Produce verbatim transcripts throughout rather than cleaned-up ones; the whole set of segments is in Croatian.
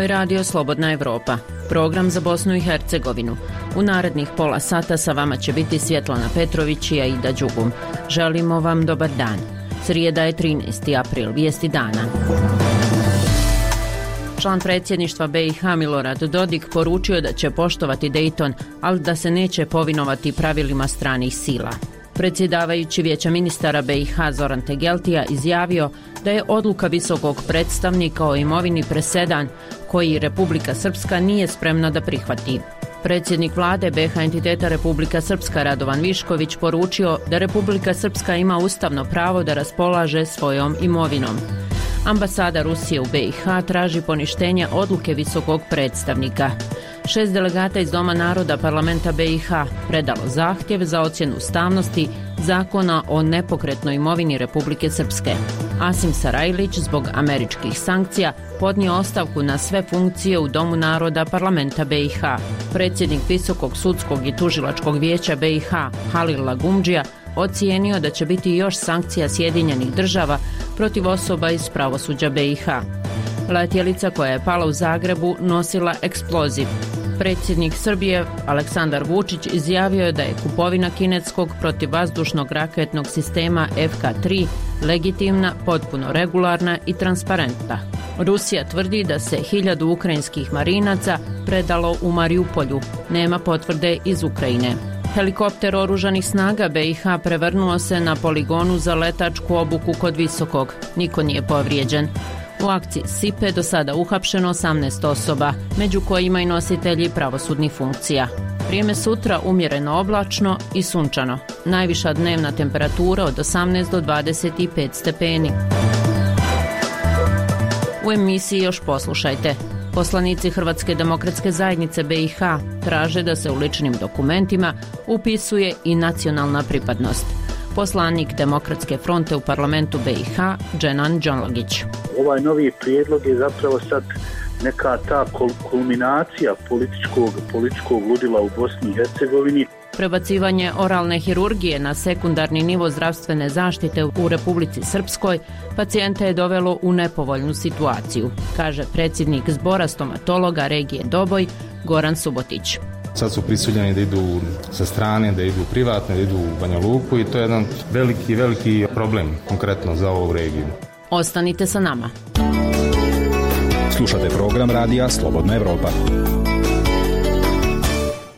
je Radio Slobodna Evropa, program za Bosnu i Hercegovinu. U narednih pola sata sa vama će biti Svjetlana Petrović i Aida Đugum. Želimo vam dobar dan. Srijeda je trinaesti april, vijesti dana. Član predsjedništva B i H Milorad Dodik poručio da će poštovati Dejton, ali da se neće povinovati pravilima stranih sila. Predsjedavajući Vijeća ministara B i H Zoran Tegeltija izjavio da je odluka visokog predstavnika o imovini presedan koji Republika Srpska nije spremna da prihvati. Predsjednik vlade B i H entiteta Republika Srpska Radovan Višković poručio da Republika Srpska ima ustavno pravo da raspolaže svojom imovinom. Ambasada Rusije u B i H traži poništenje odluke visokog predstavnika. Šest delegata iz Doma naroda parlamenta B i H predalo zahtjev za ocjenu ustavnosti zakona o nepokretnoj imovini Republike Srpske. Asim Sarajlić zbog američkih sankcija podnio ostavku na sve funkcije u Domu naroda parlamenta B i H. Predsjednik Visokog sudskog i tužilačkog vijeća B i H Halil Lagumdžija ocijenio da će biti još sankcija Sjedinjenih država protiv osoba iz pravosuđa B i H. Letjelica koja je pala u Zagrebu nosila eksploziv. Predsjednik Srbije Aleksandar Vučić izjavio je da je kupovina kineskog protivvazdušnog raketnog sistema F K tri legitimna, potpuno regularna i transparentna. Rusija tvrdi da se hiljadu ukrajinskih marinaca predalo u Mariupolju. Nema potvrde iz Ukrajine. Helikopter oružanih snaga B i H prevrnuo se na poligonu za letačku obuku kod Visokog. Niko nije povrijeđen. U akciji Sipe do sada uhapšeno osamnaest osoba, među kojima i nositelji pravosudnih funkcija. Vrijeme sutra umjereno oblačno i sunčano. Najviša dnevna temperatura od osamnaest do dvadeset pet stepeni. U emisiji još poslušajte. Poslanici Hrvatske demokratske zajednice B i H traže da se u ličnim dokumentima upisuje i nacionalna pripadnost. Poslanik Demokratske fronte u parlamentu B i H Dženan Đonlagić. Ovaj novi prijedlog je zapravo sad neka ta kulminacija političkog, političkog ludila u Bosni i Hercegovini. Prebacivanje oralne hirurgije na sekundarni nivo zdravstvene zaštite u Republici Srpskoj pacijente je dovelo u nepovoljnu situaciju, kaže predsjednik zbora stomatologa regije Doboj Goran Subotić. Sad su prisiljeni da idu sa strane, da idu privatno, da idu u Banja Luku i to je jedan veliki, veliki problem konkretno za ovu regiju. Ostanite sa nama. Slušate program radija Slobodna Evropa.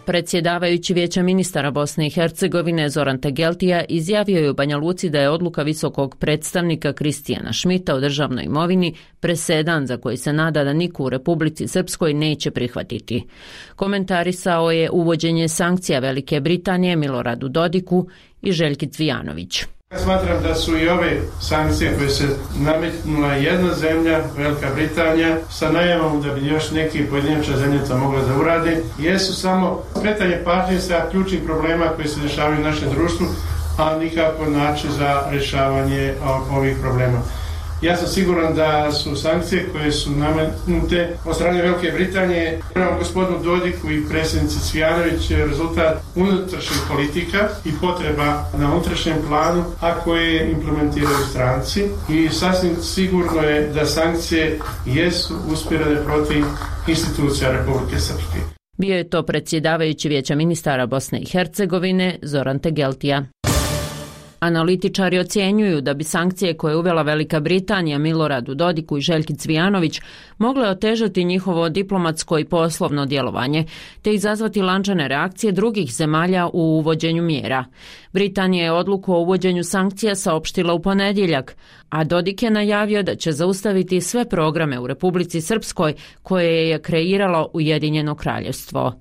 Predsjedavajući Vijeća ministara Bosne i Hercegovine Zoran Tegeltija izjavio je u Banja Luci da je odluka visokog predstavnika Kristijana Šmita o državnoj imovini presedan za koji se nada da niko u Republici Srpskoj neće prihvatiti. Komentarisao je uvođenje sankcija Velike Britanije Miloradu Dodiku i Željki Cvijanović. Ja smatram da su i ove sankcije koje se nametnula jedna zemlja, Velika Britanija, sa najavom da bi još neki pojedinačna zemlja to mogla da uradi, jesu samo skretanje pažnje sa ključnih problema koji se dešavaju u našem društvu, a nikako način za rješavanje ovih problema. Ja sam siguran da su sankcije koje su nametnute od strane Velike Britanije prema gospodinu Dodiku i predsjednici Cvijanović rezultat unutrašnjih politika i potreba na unutrašnjem planu, a koje implementiraju stranci. I sasvim sigurno je da sankcije jesu usmjerene protiv institucija Republike Srpske. Bio je to predsjedavajući Vijeća ministara Bosne i Hercegovine Zoran Tegeltija. Analitičari ocjenjuju da bi sankcije koje je uvela Velika Britanija Miloradu Dodiku i Željki Cvijanović mogle otežati njihovo diplomatsko i poslovno djelovanje, te izazvati lančane reakcije drugih zemalja u uvođenju mjera. Britanija je odluku o uvođenju sankcija saopštila u ponedjeljak, a Dodik je najavio da će zaustaviti sve programe u Republici Srpskoj koje je kreiralo Ujedinjeno kraljevstvo.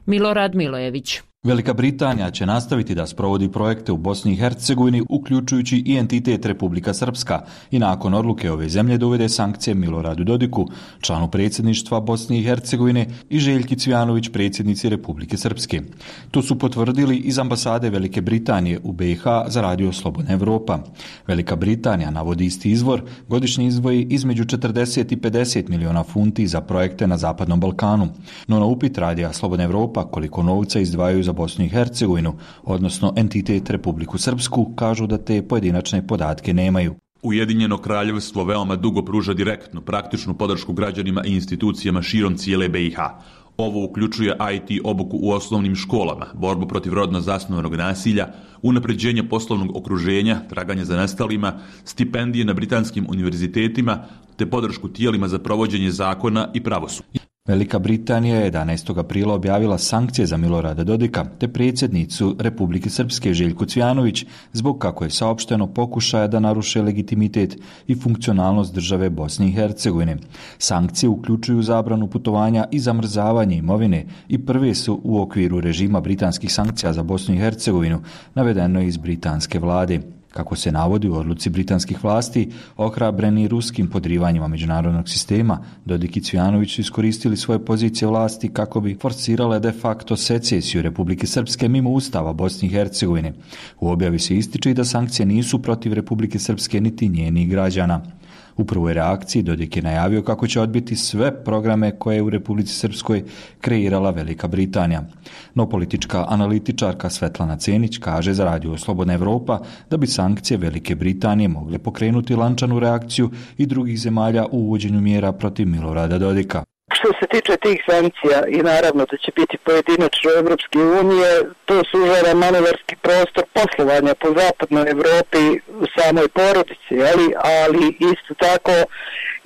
Milorad Milojević. Velika Britanija će nastaviti da sprovodi projekte u Bosni i Hercegovini, uključujući i entitet Republika Srpska, i nakon odluke ove zemlje da uvede sankcije Miloradu Dodiku, članu predsjedništva Bosne i Hercegovine, i Željki Cvijanović, predsjednici Republike Srpske. To su potvrdili iz ambasade Velike Britanije u B i H za Radio Slobodna Evropa. Velika Britanija, navodi isti izvor, godišnje izdvoji između četrdeset i pedeset miliona funti za projekte na Zapadnom Balkanu. No na upit Radija Slobodna Evropa koliko novca izdvajaju za Bosnu i Hercegovinu, odnosno entitet Republiku Srpsku, kažu da te pojedinačne podatke nemaju. Ujedinjeno kraljevstvo veoma dugo pruža direktnu, praktičnu podršku građanima i institucijama širom cijele B i H. Ovo uključuje I T obuku u osnovnim školama, borbu protiv rodno zasnovanog nasilja, unapređenje poslovnog okruženja, traganje za nestalima, stipendije na britanskim univerzitetima, te podršku tijelima za provođenje zakona i pravosuđa. Velika Britanija je jedanaestog aprila objavila sankcije za Milorada Dodika te predsjednicu Republike Srpske Željku Cvijanović zbog, kako je saopšteno, pokušaja da naruše legitimitet i funkcionalnost države Bosne i Hercegovine. Sankcije uključuju zabranu putovanja i zamrzavanje imovine i prve su u okviru režima britanskih sankcija za Bosnu i Hercegovinu, navedeno je iz britanske vlade. Kako se navodi u odluci britanskih vlasti, ohrabreni ruskim podrivanjima međunarodnog sistema, Dodik i Cvijanović su iskoristili svoje pozicije vlasti kako bi forsirale de facto secesiju Republike Srpske mimo Ustava Bosne i Hercegovine. U objavi se ističe i da sankcije nisu protiv Republike Srpske niti njenih građana. U prvoj reakciji Dodik je najavio kako će odbiti sve programe koje je u Republici Srpskoj kreirala Velika Britanija. No politička analitičarka Svetlana Cenić kaže za Radio Slobodna Evropa da bi sankcije Velike Britanije mogle pokrenuti lančanu reakciju i drugih zemalja u uvođenju mjera protiv Milorada Dodika. Što se tiče tih sankcija i naravno da će biti pojedinačno Evropske unije, to sužava manevarski prostor poslovanja po zapadnoj Evropi u samoj porodici, ali, ali isto tako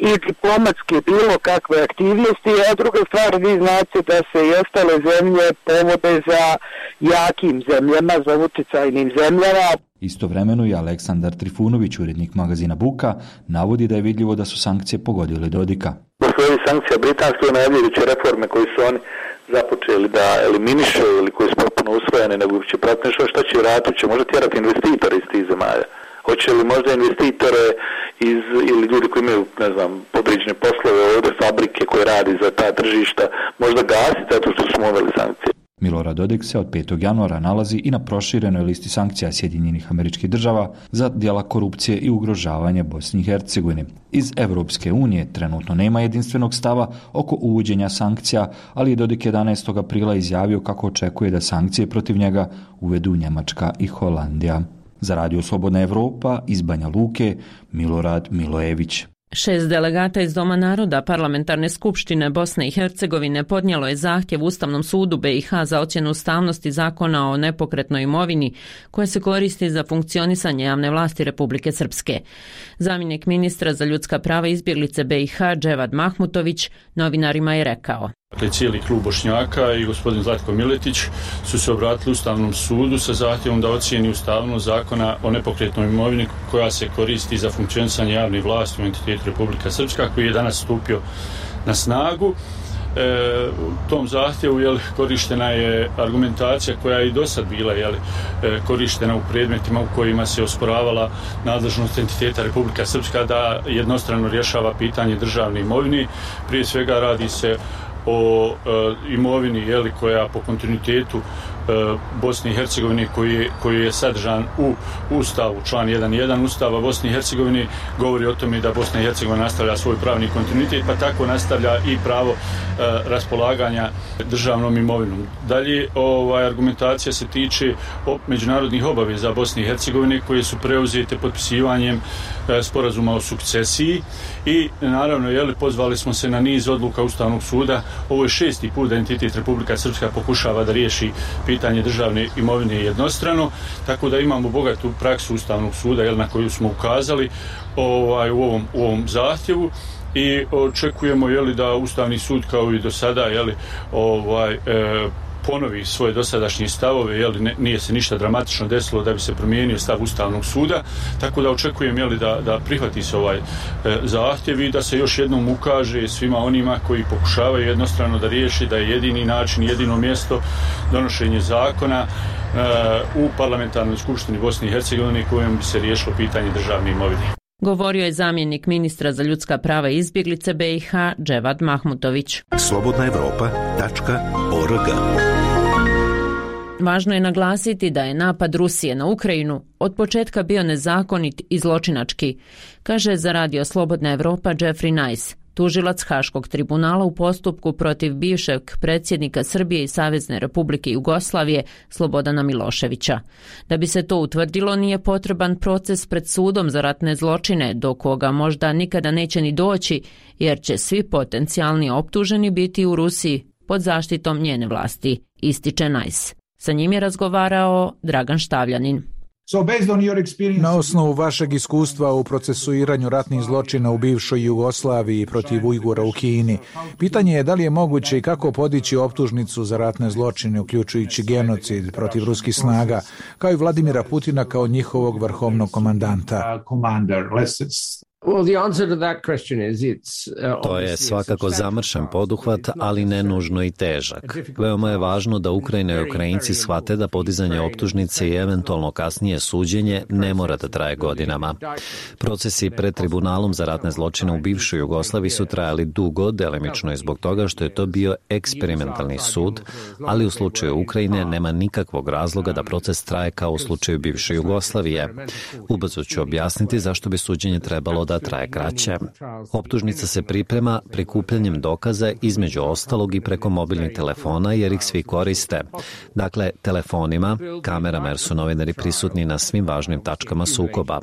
i diplomatske bilo kakve aktivnosti, a druga stvar, vi znate da se i ostale zemlje povode za jakim zemljama, za utjecajnim zemljama. Istovremeno i Aleksandar Trifunović, urednik magazina Buka, navodi da je vidljivo da su sankcije pogodile Dodika. Posle ovih sankcija britanske najavljujuće reforme koje su oni započeli da eliminiše ili koje su potpuno usvojene, nego će pratiti nešto šta će raditi, će možda tjerati investitore iz tih zemalja. Hoće li možda investitore iz, ili ljudi koji imaju, ne znam, podređene poslove ovdje, fabrike koje radi za ta tržišta, možda gasiti zato što su uveli sankcije. Milorad Dodik se od petog januara nalazi i na proširenoj listi sankcija Sjedinjenih Američkih Država za djela korupcije i ugrožavanja Bosne i Hercegovine. Iz Evropske unije trenutno nema jedinstvenog stava oko uvođenja sankcija, ali je Dodik jedanaestog aprila izjavio kako očekuje da sankcije protiv njega uvedu Njemačka i Holandija. Za Radio Slobodna Evropa iz Banja Luke, Milorad Milojević. Šest delegata iz Doma naroda Parlamentarne skupštine Bosne i Hercegovine podnijelo je zahtjev Ustavnom sudu B i H za ocjenu ustavnosti zakona o nepokretnoj imovini koja se koristi za funkcionisanje javne vlasti Republike Srpske. Zamjenik ministra za ljudska prava i izbjeglice B i H Dževad Mahmutović novinarima je rekao: Dakle, cijeli klub Bošnjaka i gospodin Zlatko Miletić su se obratili Ustavnom sudu sa zahtjevom da ocijeni ustavnost zakona o nepokretnoj imovini koja se koristi za funkcionisanje javne vlasti u entitetu Republika Srpska, koji je danas stupio na snagu. E, u tom zahtjevu jel, korištena je argumentacija koja je i do sad bila jel, e, korištena u predmetima u kojima se osporavala nadležnost entiteta Republika Srpska da jednostrano rješava pitanje državne imovine. Prije svega radi se o e, imovini jeli, koja po kontinuitetu e, Bosne i Hercegovine koji je, koji je sadržan u Ustavu, član jedan jedan Ustava Bosne i Hercegovine govori o tome da Bosna i Hercegovina nastavlja svoj pravni kontinuitet, pa tako nastavlja i pravo e, raspolaganja državnom imovinom. Dalje, ovaj, argumentacija se tiče o međunarodnih obaveza Bosne i Hercegovine koje su preuzete potpisivanjem e, sporazuma o sukcesiji i naravno jeli, pozvali smo se na niz odluka Ustavnog suda. Ovo je šesti put da entitet Republika Srpska pokušava da riješi pitanje državne imovine jednostrano, tako da imamo bogatu praksu Ustavnog suda jel, na koju smo ukazali ovaj, u, ovom, u ovom zahtjevu i očekujemo jeli, da Ustavni sud kao i do sada jeli, ovaj, e, ponovi svoje dosadašnje stavove, jeli, ne, nije se ništa dramatično desilo da bi se promijenio stav Ustavnog suda, tako da očekujem jeli, da, da prihvati se ovaj e, zahtjev i da se još jednom ukaže svima onima koji pokušavaju jednostrano da riješi da je jedini način, jedino mjesto donošenje zakona e, u Parlamentarnoj skupštini Bosne i Hercegovine kojom bi se riješilo pitanje državne imovine. Govorio je zamjenik ministra za ljudska prava i izbjeglice B i H Dževad Mahmutović. slobodna evropa tačka org. Važno je naglasiti da je napad Rusije na Ukrajinu od početka bio nezakonit i zločinački, kaže za Radio Slobodna Evropa Jeffrey Nice, tužilac Haškog tribunala u postupku protiv bivšeg predsjednika Srbije i Savezne Republike Jugoslavije Slobodana Miloševića. Da bi se to utvrdilo, nije potreban proces pred sudom za ratne zločine, do koga možda nikada neće ni doći, jer će svi potencijalni optuženi biti u Rusiji pod zaštitom njene vlasti, ističe Najs. Sa njim je razgovarao Dragan Štavljanin. Na osnovu vašeg iskustva u procesuiranju ratnih zločina u bivšoj Jugoslaviji protiv Ujgura u Kini, pitanje je da li je moguće i kako podići optužnicu za ratne zločine, uključujući genocid protiv ruskih snaga, kao i Vladimira Putina kao njihovog vrhovnog komandanta. To je svakako zamršen poduhvat, ali ne nužno i težak. Veoma je važno da Ukrajina i Ukrajinci shvate da podizanje optužnice i eventualno kasnije suđenje ne mora da traje godinama. Procesi pred tribunalom za ratne zločine u bivšoj Jugoslaviji su trajali dugo, delimično i zbog toga što je to bio eksperimentalni sud, ali u slučaju Ukrajine nema nikakvog razloga da proces traje kao u slučaju bivše Jugoslavije. Ubrzo ću objasniti zašto bi suđenje trebalo da traje kraće. Optužnica se priprema prikupljanjem dokaza, između ostalog i preko mobilnih telefona, jer ih svi koriste. Dakle, telefonima, kamerama, jer su novinari prisutni na svim važnim tačkama sukoba.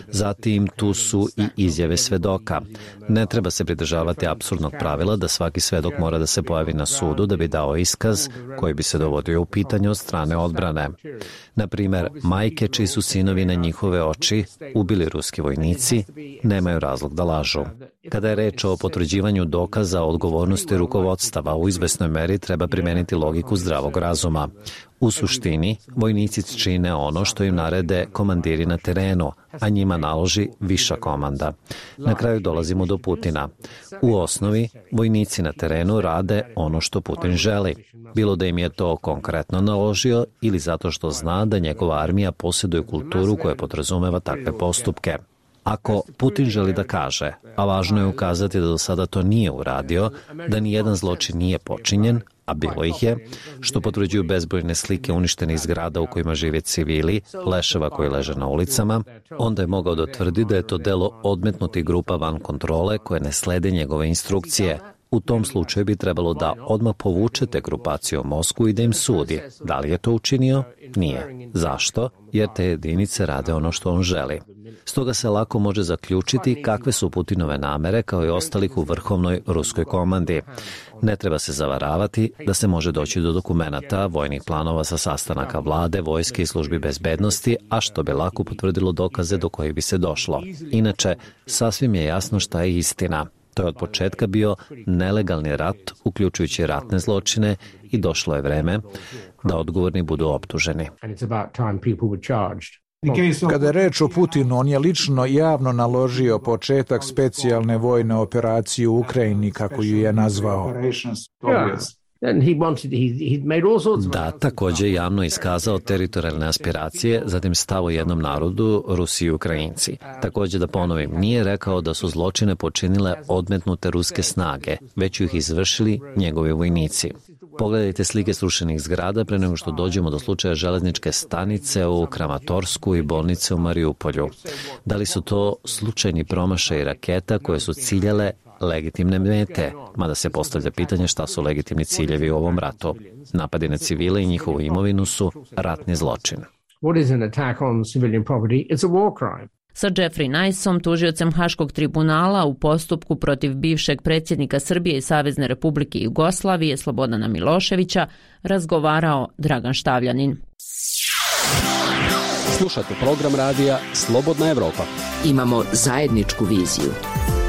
Zatim tu su i izjave svedoka. Ne treba se pridržavati apsurdnog pravila da svaki svedok mora da se pojavi na sudu da bi dao iskaz koji bi se dovodio u pitanje od strane odbrane. Na primer, majke čiji su sinovi na njihove oči ubili ruski vojnici nemaju razlog da lažu. Kada je reč o potvrđivanju dokaza o odgovornosti rukovodstava, u izvesnoj meri treba primeniti logiku zdravog razuma. U suštini, vojnici čine ono što im narede komandiri na terenu, a njima naloži viša komanda. Na kraju dolazimo do Putina. U osnovi, vojnici na terenu rade ono što Putin želi. Bilo da im je to konkretno naložio ili zato što zna da njegova armija posjeduje kulturu koja podrazumeva takve postupke. Ako Putin želi da kaže, a važno je ukazati da do sada to nije uradio, da ni jedan zločin nije počinjen, a bilo ih je, što potvrđuju bezbrojne slike uništenih zgrada u kojima žive civili, leševa koji leže na ulicama, onda je mogao da tvrdi da je to delo odmetnutih grupa van kontrole koje ne slede njegove instrukcije. U tom slučaju bi trebalo da odmah povuče te grupacije u Moskvu i da im sudi. Da li je to učinio? Nije. Zašto? Jer te jedinice rade ono što on želi. Stoga se lako može zaključiti kakve su Putinove namere kao i ostalih u vrhovnoj ruskoj komandi. Ne treba se zavaravati da se može doći do dokumenata, vojnih planova sa sastanaka vlade, vojske i službi bezbednosti, a što bi lako potvrdilo dokaze do kojih bi se došlo. Inače, sasvim je jasno šta je istina. To je od početka bio nelegalni rat, uključujući ratne zločine, i došlo je vreme da odgovorni budu optuženi. Kada je reč o Putinu, on je lično javno naložio početak specijalne vojne operacije u Ukrajini, kako ju je nazvao. Da, također javno iskazao teritorijalne aspiracije, zatim stav o jednom narodu, Rusi i Ukrajinci. Također da ponovim, nije rekao da su zločine počinile odmetnute ruske snage, već ih izvršili njegovi vojnici. Pogledajte slike srušenih zgrada pre nego što dođemo do slučaja železničke stanice u Kramatorsku i bolnice u Mariupolju. Da li su to slučajni promašaji raketa koje su ciljale legitimne mete, mada se postavlja pitanje šta su legitimni ciljevi u ovom ratu. Napadi na civile i njihovu imovinu su ratni zločin. Sa Jeffrey Najsom, tužiocem Haškog tribunala u postupku protiv bivšeg predsjednika Srbije i Savezne Republike Jugoslavije Slobodana Miloševića, razgovarao Dragan Štavljanin. Slušate program radija Slobodna Evropa. Imamo zajedničku viziju.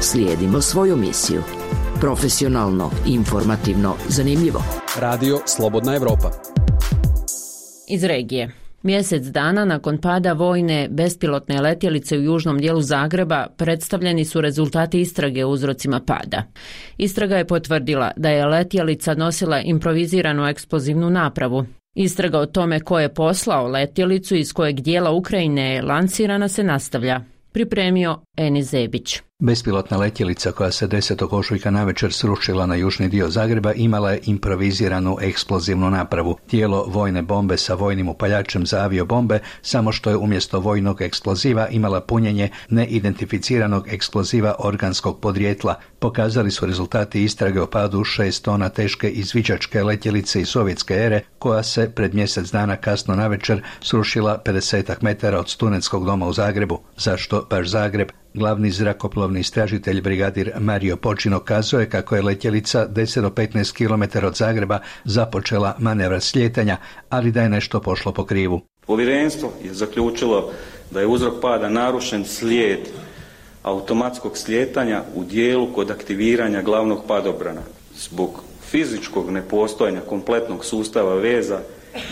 Slijedimo svoju misiju. Profesionalno, informativno, zanimljivo. Radio Slobodna Evropa. Iz regije. Mjesec dana nakon pada vojne bespilotne letjelice u južnom dijelu Zagreba predstavljeni su rezultati istrage o uzrocima pada. Istraga je potvrdila da je letjelica nosila improviziranu eksplozivnu napravu. Istraga o tome ko je poslao letjelicu i iz kojeg dijela Ukrajine je lansirana se nastavlja. Pripremio Enis Zebić. Bespilotna letjelica koja se desetog ožujka navečer srušila na južni dio Zagreba imala je improviziranu eksplozivnu napravu. Tijelo vojne bombe sa vojnim upaljačem za aviobombe, samo što je umjesto vojnog eksploziva imala punjenje neidentificiranog eksploziva organskog podrijetla. Pokazali su rezultati istrage o padu šest tona teške izviđačke letjelice iz sovjetske ere koja se pred mjesec dana kasno navečer srušila pedesetak metara od studentskog doma u Zagrebu. Zašto baš Zagreb? Glavni zrakoplovni istražitelj brigadir Mario Počino kazuje kako je letjelica deset do petnaest kilometara od Zagreba započela manevra slijetanja, ali da je nešto pošlo po krivu. Povjerenstvo je zaključilo da je uzrok pada narušen slijed automatskog slijetanja u dijelu kod aktiviranja glavnog padobrana zbog fizičkog nepostojanja kompletnog sustava veza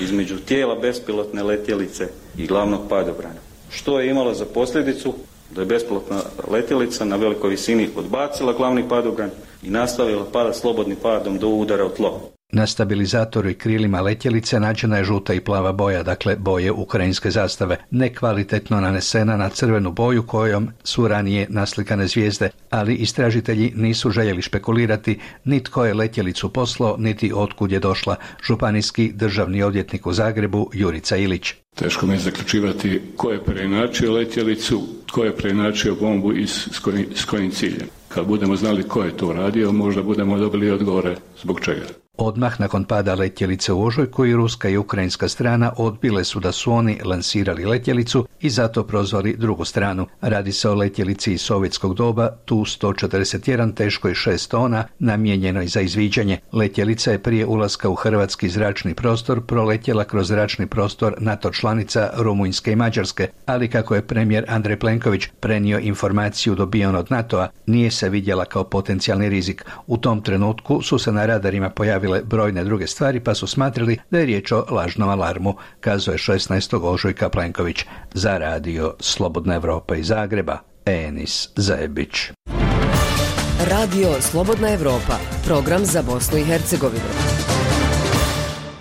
između tijela bespilotne letjelice i glavnog padobrana, što je imalo za posljedicu da je bespilotna letjelica na velikoj visini odbacila glavni padobran i nastavila pada slobodnim padom do udara u tlo. Na stabilizatoru i krilima letjelice nađena je žuta i plava boja, dakle boje ukrajinske zastave, nekvalitetno nanesena na crvenu boju kojom su ranije naslikane zvijezde, ali istražitelji nisu željeli špekulirati ni tko je letjelicu poslao, niti otkud je došla. Županijski državni odvjetnik u Zagrebu Jurica Ilić. Teško mi je zaključivati ko je preinačio letjelicu, ko je preinačio bombu i s kojim, s kojim ciljem. Kad budemo znali ko je to radio, možda budemo dobili odgovore zbog čega. Odmah nakon pada letjelice u ožujku i ruska i ukrajinska strana odbile su da su oni lansirali letjelicu i zato prozvali drugu stranu. Radi se o letjelici iz sovjetskog doba Tu sto četrdeset jedan teškoj šest tona, namijenjenoj za izviđanje. Letjelica je prije ulaska u hrvatski zračni prostor proletjela kroz zračni prostor NATO članica Rumunjske i Mađarske, ali kako je premijer Andrej Plenković prenio informaciju dobijenu od NATO-a, nije se vidjela kao potencijalni rizik. U tom trenutku su se na radarima pojavili brojne druge stvari, pa su smatrali da je riječ o lažnom alarmu, kazuje šesnaestog ožujka Plenković. Za radio Slobodna Evropa iz Zagreba, Enis Zebić. Radio Slobodna Evropa, program za Bosnu i Hercegovinu.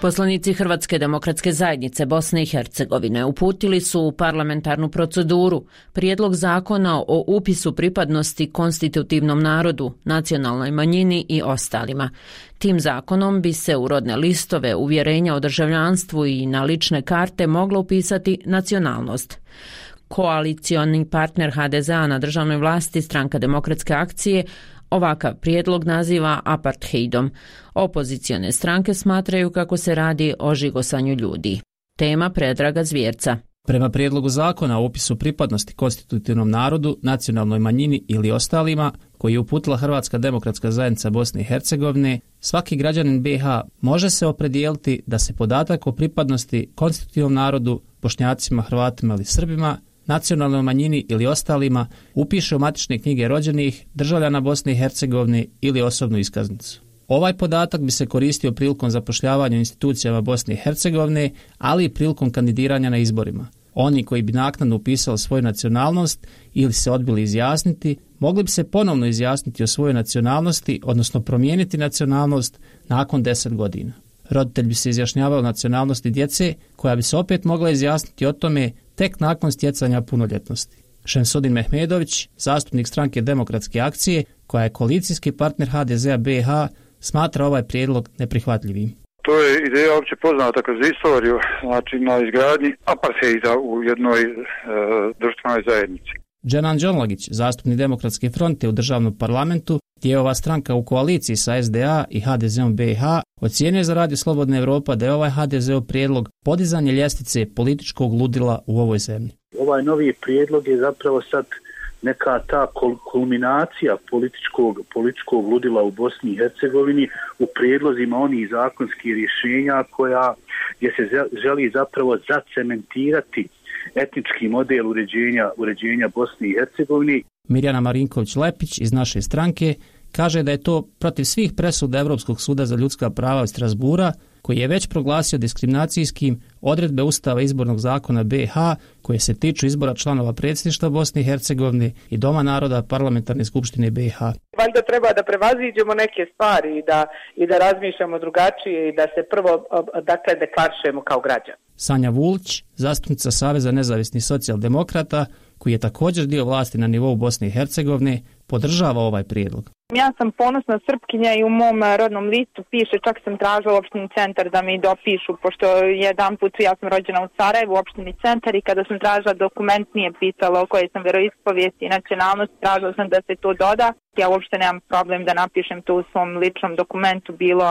Poslanici Hrvatske demokratske zajednice Bosne i Hercegovine uputili su u parlamentarnu proceduru prijedlog zakona o upisu pripadnosti konstitutivnom narodu, nacionalnoj manjini i ostalima. Tim zakonom bi se u rodne listove, uvjerenja o državljanstvu i na lične karte mogla upisati nacionalnost. Koalicioni partner ha de zea na državnoj vlasti, Stranka demokratske akcije, ovakav prijedlog naziva apartheidom. Opozicione stranke smatraju kako se radi o žigosanju ljudi. Tema Predraga Zvjerca. Prema prijedlogu zakona o upisu pripadnosti konstitutivnom narodu, nacionalnoj manjini ili ostalima, koji je uputila Hrvatska demokratska zajednica Bosne i Hercegovine, svaki građanin be ha može se opredijeliti da se podatak o pripadnosti konstitutivnom narodu, Bošnjacima, Hrvatima ili Srbima, nacionalnoj manjini ili ostalima upiše u matične knjige rođenih, državljana Bosne i Hercegovine ili osobnu iskaznicu. Ovaj podatak bi se koristio prilikom zapošljavanja u institucijama Bosne i Hercegovine, ali i prilikom kandidiranja na izborima. Oni koji bi naknadno upisali svoju nacionalnost ili se odbili izjasniti, mogli bi se ponovno izjasniti o svojoj nacionalnosti, odnosno promijeniti nacionalnost nakon deset godina. Roditelj bi se izjašnjavao o nacionalnosti djece, koja bi se opet mogla izjasniti o tome tek nakon stjecanja punoljetnosti. Šemsudin Mehmedović, zastupnik Stranke demokratske akcije, koja je koalicijski partner ha de zea be ha, smatra ovaj prijedlog neprihvatljivim. To je ideja opće poznata kroz istoriju, znači na izgradnji apartheida u jednoj e, društvenoj zajednici. Dženan Đonlagić, zastupnik Demokratske fronte u državnom parlamentu, gdje je ova stranka u koaliciji sa es de a i ha de zeom be ha, ocijenio za Radio Slobodna Evropa da je ovaj ha de zeov prijedlog podizanje ljestvice političkog ludila u ovoj zemlji. Ovaj novi prijedlog je zapravo sad neka ta kulminacija političkog, političkog ludila u Bosni i Hercegovini u prijedlozima onih zakonskih rješenja koja gdje se želi zapravo zacementirati etnički model uređenja, uređenja Bosne i Hercegovine. Mirjana Marinković-Lepić iz naše stranke kaže da je to protiv svih presuda Europskog suda za ljudska prava iz Strasbura, koji je već proglasio diskriminacijskim odredbe Ustava izbornog zakona be ha koje se tiču izbora članova predsjedništva Bosne i Hercegovine i Doma naroda Parlamentarne skupštine be ha. Valjda treba da prevaziđemo neke stvari i da, i da razmišljamo drugačije i da se prvo dakle deklarišemo kao građani. Sanja Vulić, zastupnica Saveza nezavisnih socijaldemokrata, koji je također dio vlasti na nivou Bosne i Hercegovine, podržava ovaj prijedlog. Ja sam ponosna Srpkinja i u mom rodnom listu piše, čak sam tražila u opštini Centar da mi dopišu, pošto jedan put ja sam rođena u Sarajevu, u opštini Centar, i kada sam tražila dokument nije pisalo o kojoj sam veroispovijesti i nacionalnosti, tražila sam da se to doda. Ja uopšte nemam problem da napišem to u svom ličnom dokumentu, bilo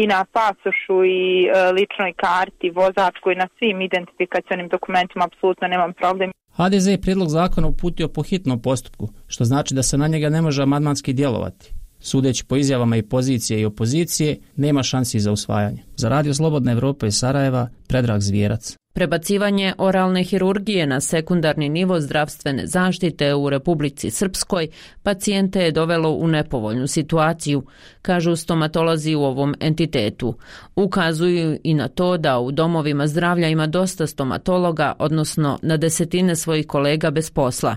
i na pasošu i e, ličnoj karti, vozačkoj, na svim identifikacionim dokumentima, apsolutno nemam problem. ha de ze je prijedlog zakona uputio po hitnom postupku, što znači da se na njega ne može amandmanski djelovati. Sudeći po izjavama i pozicije i opozicije, nema šansi za usvajanje. Za Radio Slobodna Evropa iz Sarajeva, Predrag Zvijerac. Prebacivanje oralne hirurgije na sekundarni nivo zdravstvene zaštite u Republici Srpskoj pacijente je dovelo u nepovoljnu situaciju, kažu stomatolozi u ovom entitetu. Ukazuju i na to da u domovima zdravlja ima dosta stomatologa, odnosno na desetine svojih kolega bez posla.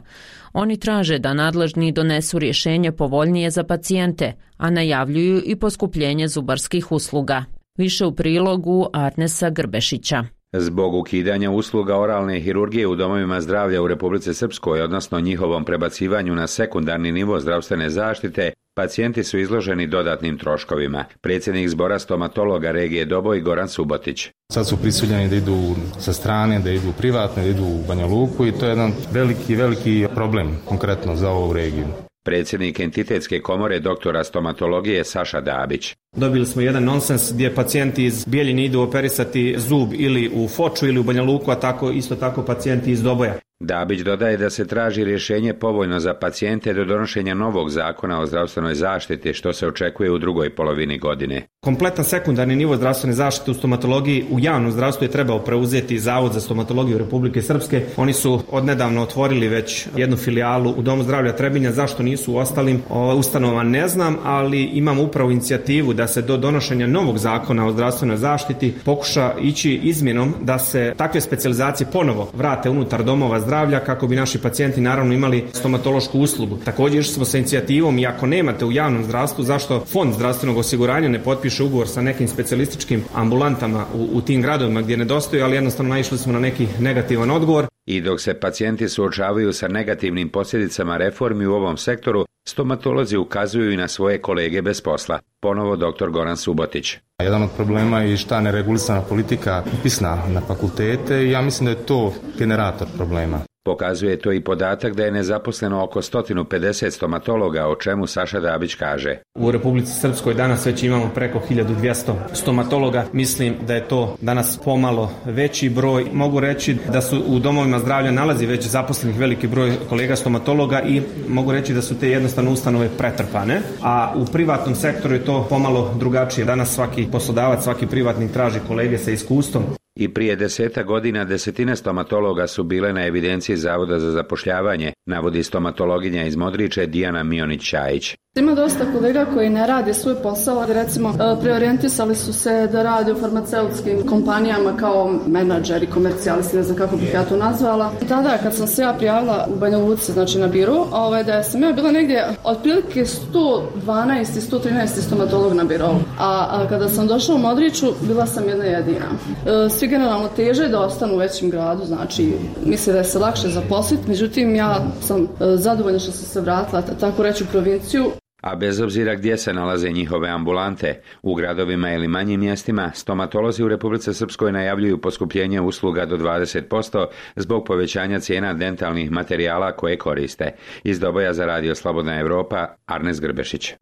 Oni traže da nadležni donesu rješenje povoljnije za pacijente, a najavljuju i poskupljenje zubarskih usluga. Više u prilogu Arnesa Grbešića. Zbog ukidanja usluga oralne hirurgije u domovima zdravlja u Republici Srpskoj, odnosno njihovom prebacivanju na sekundarni nivo zdravstvene zaštite, pacijenti su izloženi dodatnim troškovima. Predsjednik zbora stomatologa regije Doboj Goran Subotić. Sad su prisiljeni da idu sa strane, da idu privatno, da idu u Banja Luku i to je jedan veliki, veliki problem konkretno za ovu regiju. Predsjednik entitetske komore doktora stomatologije Saša Dabić. Dobili smo jedan nonsens gdje pacijenti iz Bijeljine idu operisati zub ili u Foču ili u Banja Luku, a tako isto tako pacijenti iz Doboja. Dabić dodaje da se traži rješenje povoljno za pacijente do donošenja novog zakona o zdravstvenoj zaštiti, što se očekuje u drugoj polovini godine. Kompletan sekundarni nivo zdravstvene zaštite u stomatologiji u javnom zdravstvu je trebao preuzeti Zavod za stomatologiju Republike Srpske. Oni su odnedavno otvorili već jednu filijalu u Domu zdravlja Trebinja. Zašto nisu u ostalim ustanovama ne znam, ali imamo upravo inicijativu da se do donošenja novog zakona o zdravstvenoj zaštiti pokuša ići izmjenom da se takve specijalizacije ponovo vrate unutar domova zdravlja kako bi naši pacijenti naravno imali stomatološku uslugu. Također smo sa inicijativom, i ako nemate u javnom zdravstvu, zašto Fond zdravstvenog osiguranja ne potpiše ugovor sa nekim specijalističkim ambulantama u, u tim gradovima gdje nedostaju, ali jednostavno naišli smo na neki negativan odgovor. I dok se pacijenti suočavaju sa negativnim posljedicama reformi u ovom sektoru, stomatolozi ukazuju i na svoje kolege bez posla. Ponovo doktor Goran Subotić. Jedan od problema je šta neregulisana politika upisna na fakultete i ja mislim da je to generator problema. Pokazuje to i podatak da je nezaposleno oko sto pedeset stomatologa, o čemu Saša Dabić kaže. U Republici Srpskoj danas već imamo preko hiljadu dvjesto stomatologa. Mislim da je to danas pomalo veći broj. Mogu reći da su u domovima zdravlja nalazi već zaposlenih veliki broj kolega stomatologa i mogu reći da su te jednostavno ustanove pretrpane. A u privatnom sektoru je to pomalo drugačije. Danas svaki poslodavac, svaki privatnik traži kolege sa iskustvom. I prije deseta godina desetine stomatologa su bile na evidenciji Zavoda za zapošljavanje, navodi stomatologinja iz Modriče Dijana Mionić-Čajić. Ima dosta kolega koji ne rade svoj posao, recimo preorijentisali su se da rade u farmaceutskim kompanijama kao menadžeri, komercijalisti, ne znam kako bih ja to nazvala. I tada kad sam se ja prijavila u Banja Luci, znači na biru, ovaj, da sam ja bila negdje otprilike sto dvanaest sto trinaest stomatolog na birovu. A, a kada sam došla u Modriču, bila sam jedna jedina. E, svi generalno teže da ostanu u većem gradu, znači misle da je se lakše zaposliti, međutim ja sam e, zadovoljna što sam se vratila, tako reći, u provinciju. A bez obzira gdje se nalaze njihove ambulante, u gradovima ili manjim mjestima, stomatolozi u Republici Srpskoj najavljuju poskupljenje usluga do dvadeset posto zbog povećanja cijena dentalnih materijala koje koriste. Iz Doboja za Radio Slobodna Evropa, Arnes Grbešić.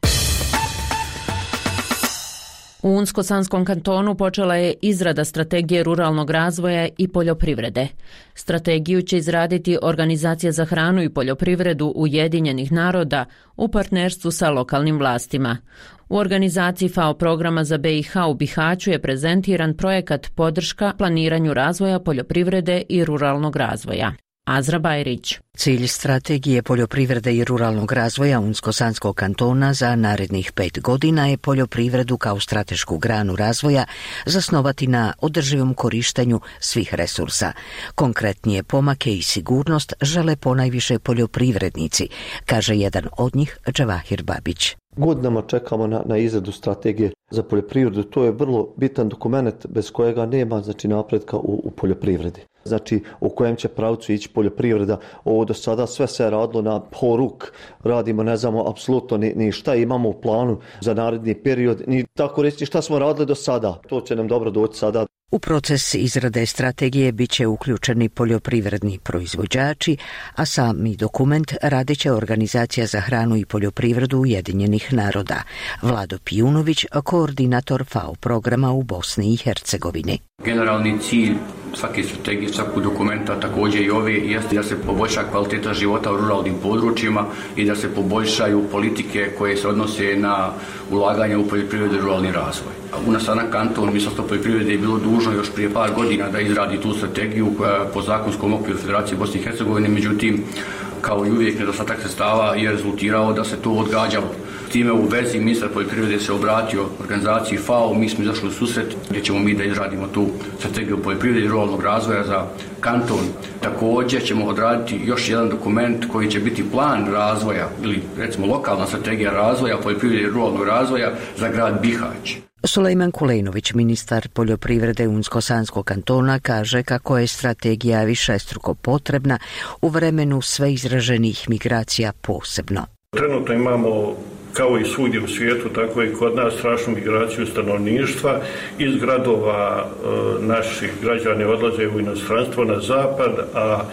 U Unsko-Sanskom kantonu počela je izrada strategije ruralnog razvoja i poljoprivrede. Strategiju će izraditi Organizacija za hranu i poljoprivredu Ujedinjenih naroda u partnerstvu sa lokalnim vlastima. U organizaciji F A O programa za B i H u Bihaću je prezentiran projekat podrška planiranju razvoja poljoprivrede i ruralnog razvoja. Azra Bajrić. Cilj strategije poljoprivrede i ruralnog razvoja Unsko-Sanskog kantona za narednih pet godina je poljoprivredu kao stratešku granu razvoja zasnovati na održivom korištenju svih resursa. Konkretnije pomake i sigurnost žele ponajviše poljoprivrednici, kaže jedan od njih, Džavahir Babić. Godinama čekamo na, na izradu strategije za poljoprivredu. To je vrlo bitan dokument bez kojega nema znači, napretka u, u poljoprivredi. Znači u kojem će pravcu ići poljoprivreda. Ovo do sada sve se radilo na poruk. Radimo, ne znamo apsolutno ni, ni šta imamo u planu za naredni period, ni tako reći šta smo radili do sada. To će nam dobro doći sada. U proces izrade strategije bit će uključeni poljoprivredni proizvođači, a sami dokument radit će Organizacija za hranu i poljoprivredu Ujedinjenih naroda. Vlado Pijunović, koordinator FAO programa u Bosni i Hercegovini. Generalni cilj svake strategije, svakog dokumenta, također i ove, jeste da se poboljša kvaliteta života u ruralnim područjima i da se poboljšaju politike koje se odnose na ulaganje u poljoprivredu i ruralni razvoj. U nas na kanton Ministarstvo poljoprivrede je bilo dužno još prije par godina da izradi tu strategiju koja po zakonskom okviru Federacije Bosne i Hercegovine, međutim, kao i uvijek nedostatak sredstava je rezultirao da se to odgađalo. Time u vezi ministar poljoprivrede se obratio organizaciji FAO, mi smo izašli u susret gdje ćemo mi da izradimo tu strategiju poljoprivrede i ruralnog razvoja za kanton. Također ćemo odraditi još jedan dokument koji će biti plan razvoja ili recimo lokalna strategija razvoja poljoprivrede i ruralnog razvoja za grad Bihać. Sulejman Kulejnović, ministar poljoprivrede Unsko-Sanskog kantona, kaže kako je strategija višestruko potrebna u vremenu sve izraženih migracija posebno. Trenutno imamo, kao i svugdje u svijetu, tako i kod nas, strašnu migraciju stanovništva. Iz gradova e, naši građani odlaze u inostranstvo na zapad, a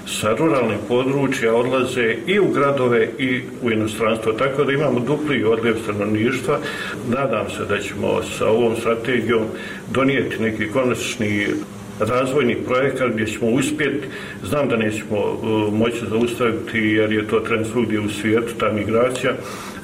sa ruralnih područja odlaze i u gradove i u inostranstvo. Tako da imamo dupli odljev stanovništva. Nadam se da ćemo sa ovom strategijom donijeti neki konačni razvojni projekat gdje ćemo uspjeti. Znam da nećemo uh, moći zaustaviti jer je to trend svugdje u svijetu, ta migracija,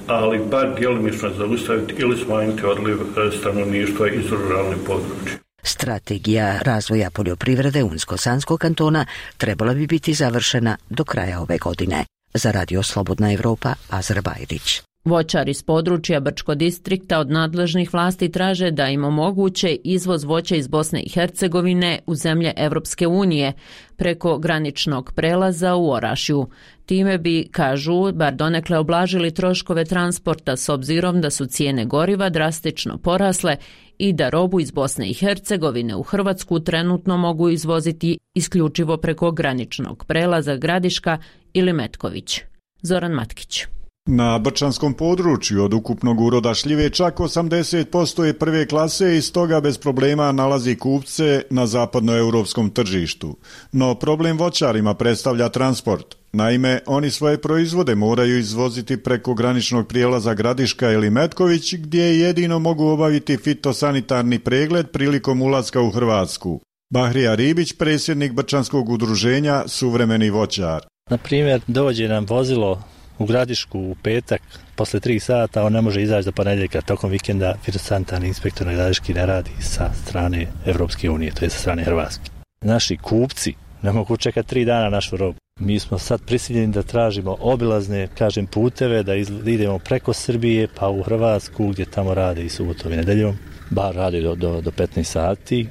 ali bar djelomično zaustaviti ili smanjiti odliv stanovništva iz ruralnih područja. Strategija razvoja poljoprivrede Unsko-Sanskog kantona trebala bi biti završena do kraja ove godine. Za Radio Slobodna Evropa, Azra Bajrić. Voćari iz područja Brčko distrikta od nadležnih vlasti traže da im omoguće izvoz voća iz Bosne i Hercegovine u zemlje Evropske unije preko graničnog prelaza u Orašju. Time bi, kažu, bar donekle oblažili troškove transporta s obzirom da su cijene goriva drastično porasle i da robu iz Bosne i Hercegovine u Hrvatsku trenutno mogu izvoziti isključivo preko graničnog prelaza Gradiška ili Metković. Zoran Matkić. Na brčanskom području od ukupnog uroda šljive čak osamdeset posto je prve klase i stoga bez problema nalazi kupce na zapadnoeuropskom tržištu. No problem voćarima predstavlja transport. Naime, oni svoje proizvode moraju izvoziti preko graničnog prijelaza Gradiška ili Metković, gdje jedino mogu obaviti fitosanitarni pregled prilikom ulaska u Hrvatsku. Bahrija Ribić, predsjednik Brčanskog udruženja Suvremeni voćar. Na primjer, dođe nam vozilo u Gradišku u petak, posle tri sata, on ne može izaći do ponedjeljka, tokom vikenda fitosanitarni inspektor na Gradiški ne radi sa strane Evropske unije, to je sa strane Hrvatske. Naši kupci ne mogu čekati tri dana našu robu. Mi smo sad prisiljeni da tražimo obilazne, kažem, puteve, da idemo preko Srbije pa u Hrvatsku gdje tamo rade i subotom i nedeljom, bar rade do, do, do petnaest sati.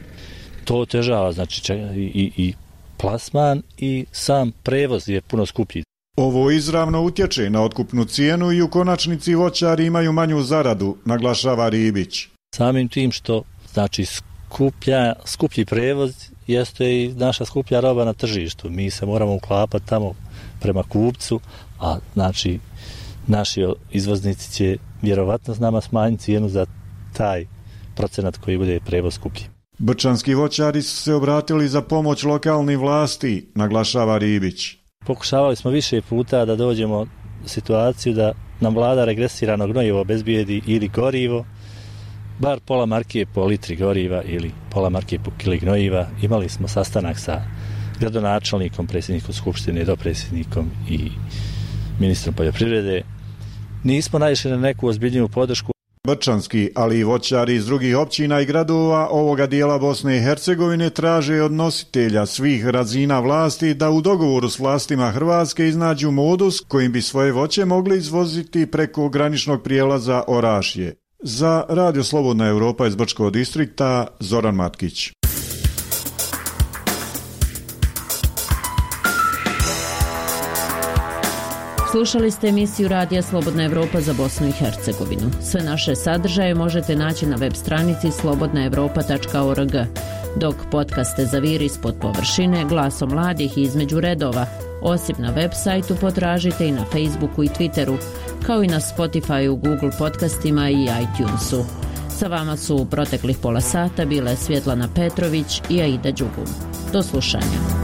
To otežava, znači i, i plasman i sam prevoz je puno skuplji. Ovo izravno utječe na otkupnu cijenu i u konačnici voćari imaju manju zaradu, naglašava Ribić. Samim tim što znači skuplja, skuplji prevoz jeste i naša skuplja roba na tržištu. Mi se moramo uklapati tamo prema kupcu, a znači naši izvoznici će vjerovatno s nama smanjiti cijenu za taj procenat koji bude prevoz skuplji. Brčanski voćari su se obratili za pomoć lokalnih vlasti, naglašava Ribić. Pokušavali smo više puta da dođemo u situaciju da nam vlada regresirano gnojivo obezbijedi ili gorivo, bar pola marke po litri goriva ili pola marke po kili gnojiva. Imali smo sastanak sa gradonačelnikom, predsjednikom skupštine, dopredsjednikom i ministrom poljoprivrede. Nismo naišli na neku ozbiljniju podršku. Brčanski, ali i voćari iz drugih općina i gradova ovoga dijela Bosne i Hercegovine traže od nositelja svih razina vlasti da u dogovoru s vlastima Hrvatske iznađu modus kojim bi svoje voće mogli izvoziti preko graničnog prijelaza Orašje. Za Radio Slobodna Evropa iz Brčkog distrikta, Zoran Matkić. Slušali ste emisiju Radija Slobodna Evropa za Bosnu i Hercegovinu. Sve naše sadržaje možete naći na web stranici slobodna evropa tačka org, dok podcaste Zaviri ispod površine, Glasom mladih i Između redova, osim na web sajtu potražite i na Facebooku i Twitteru, kao i na Spotifyu, Google podcastima i iTunesu. Sa vama su u proteklih pola sata bile Svjetlana Petrović i Aida Đugum. Do slušanja.